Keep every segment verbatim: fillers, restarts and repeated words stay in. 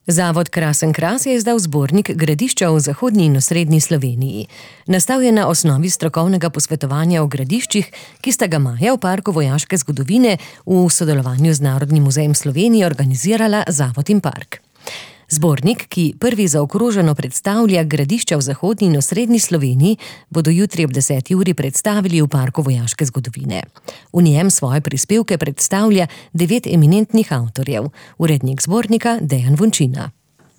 Zavod Krasen Kras je izdal zbornik Gradišča v zahodni in osrednji Sloveniji. Nastal je na osnovi strokovnega posvetovanja o gradiščih, ki sta ga maja v Parku vojaške zgodovine v sodelovanju z Narodnim muzejem Slovenije organizirala Zavod in Park. Zbornik, ki prvi zaokroženo predstavlja gradišča v zahodni in osrednji Sloveniji, bodo jutri ob deseti uri predstavili v Parku vojaške zgodovine. V njem svoje prispevke predstavlja devet eminentnih avtorjev. Urednik zbornika Dejan Vončina.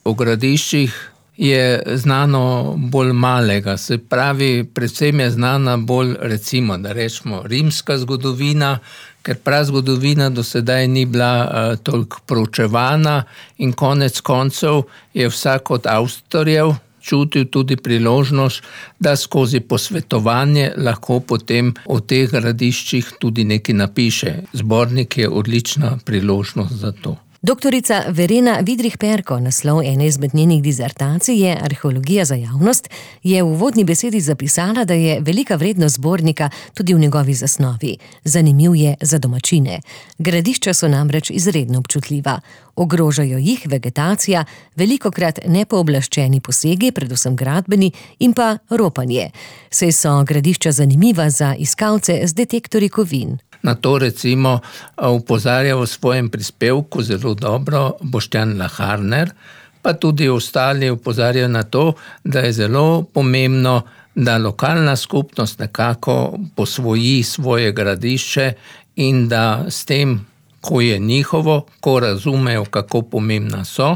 O gradiščih je znano bolj malega, se pravi, predvsem je znana bolj, recimo, da rečemo, rimska zgodovina, ker prazgodovina do sedaj ni bila uh, toliko proučevana in konec koncev je vsak od avtorjev čutil tudi priložnost, da skozi posvetovanje lahko potem o teh gradiščih tudi nekaj napiše. Zbornik je odlična priložnost za to. Doktorica Verena Vidrih-Perko, naslov ene izmed njenih dizertacij je Arheologija za javnost, je v uvodni besedi zapisala, da je velika vrednost zbornika tudi v njegovi zasnovi. Zanimiv je za domačine. Gradišča so namreč izredno občutljiva. Ogrožajo jih vegetacija, velikokrat nepooblaščeni posegi, predvsem gradbeni, in pa ropanje. Saj so gradišča zanimiva za iskalce z detektorji kovin. Na to recimo opozarja v svojem prispevku zelo dobro Boštjan Laharner, pa tudi ostali opozarjajo na to, da je zelo pomembno, da lokalna skupnost nekako posvoji svoje gradišče in da s tem, ko je njihovo, ko razumejo, kako pomembna so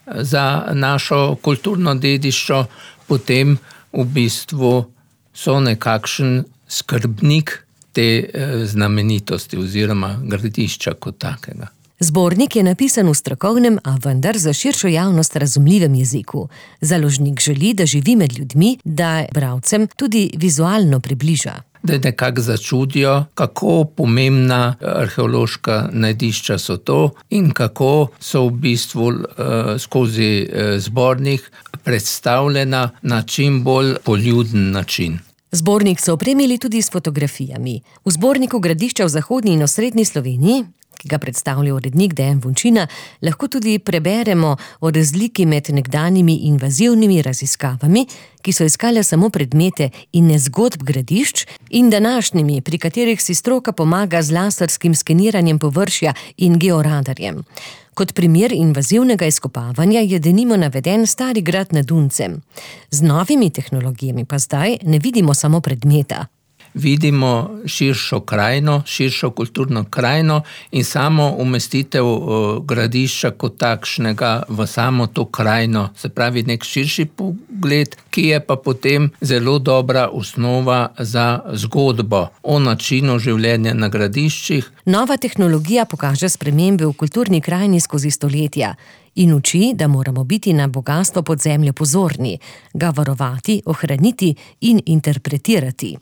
za našo kulturno dediščo, potem v bistvu so nekakšen skrbnik te znamenitosti oziroma gradišča kot takega. Zbornik je napisan v strokovnem, a vendar za širšo javnost razumljivem jeziku. Založnik želi, da živi med ljudmi, da bralcem tudi vizualno približa. Da nekako začudijo, kako pomembna arheološka najdišča so to in kako so v bistvu uh, skozi uh, zbornik predstavljena na čim bolj poljuden način. Zbornik so opremili tudi s fotografijami. V zborniku Gradišča v zahodni in osrednji Sloveniji, ki ga predstavlja urednik Dejan Vončina, lahko tudi preberemo o razliki med nekdanjimi invazivnimi raziskavami, ki so iskale samo predmete in ne zgodb gradišč, in današnjimi, pri katerih si stroka pomaga z laserskim skeniranjem površja in georadarjem. Kot primer invazivnega izkopavanja je denimo naveden Stari grad nad Duncem. Z novimi tehnologijami pa zdaj ne vidimo samo predmeta. Vidimo širšo krajino, širšo kulturno krajino in samo umestitev gradišča kot takšnega v samo to krajino, se pravi nek širši pogled, ki je pa potem zelo dobra osnova za zgodbo o načinu življenja na gradiščih. Nova tehnologija pokaže spremembe v kulturni krajini skozi stoletja in uči, da moramo biti na bogastvo podzemlja pozorni, ga varovati, ohraniti in interpretirati.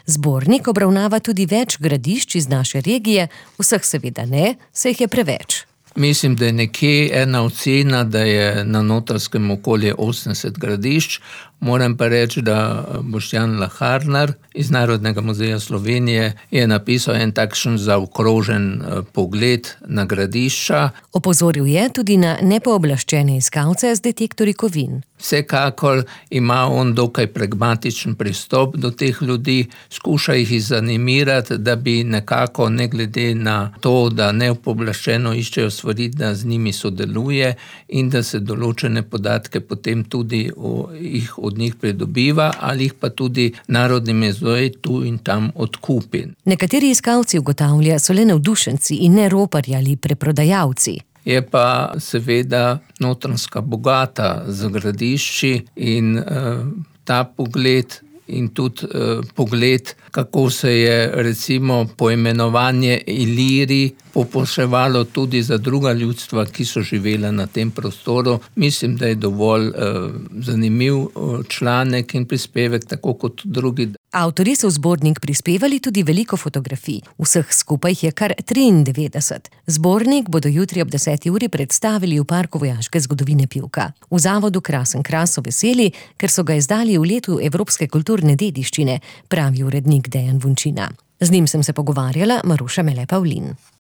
Zbornik obravnava tudi več gradišč iz naše regije, vseh seveda ne, saj jih je preveč. Mislim, da je nekje ena ocena, da je na Notranjskem okoli osemdeset gradišč. Moram pa reči, da Boštjan Laharner iz Narodnega muzeja Slovenije je napisal en takšen zaokrožen pogled na gradišča. Opozoril je tudi na nepooblaščene iskalce z detektorji kovin. Vsekakor ima on dokaj pragmatičen pristop do teh ljudi, skuša jih zanimirati, da bi nekako, ne glede na to, da nepooblaščeno iščejo stvari, da z njimi sodeluje in da se določene podatke potem tudi o, jih od njih pridobiva ali jih pa tudi Narodni muzej tu in tam odkupi. Nekateri iskalci ugotavlja so le navdušenci in ne roparji ali preprodajalci. Je pa seveda Notranjska bogata z gradišči in uh, ta pogled in tudi uh, pogled, kako se je recimo poimenovanje Iliri popoševalo tudi za druga ljudstva, ki so živela na tem prostoru. Mislim, da je dovolj uh, zanimiv uh, članek in prispevek, tako kot drugi. Avtorji so v zbornik prispevali tudi veliko fotografij. Vseh skupaj je kar triindevetdeset. Zbornik bodo jutri ob deseti uri predstavili v Parku vojaške zgodovine Pivka. V zavodu Krasen Kras so veseli, ker so ga izdali v letu evropske kulturne dediščine, pravi urednik Dejan Vončina. Z njim sem se pogovarjala Maruša Mele Pavlin.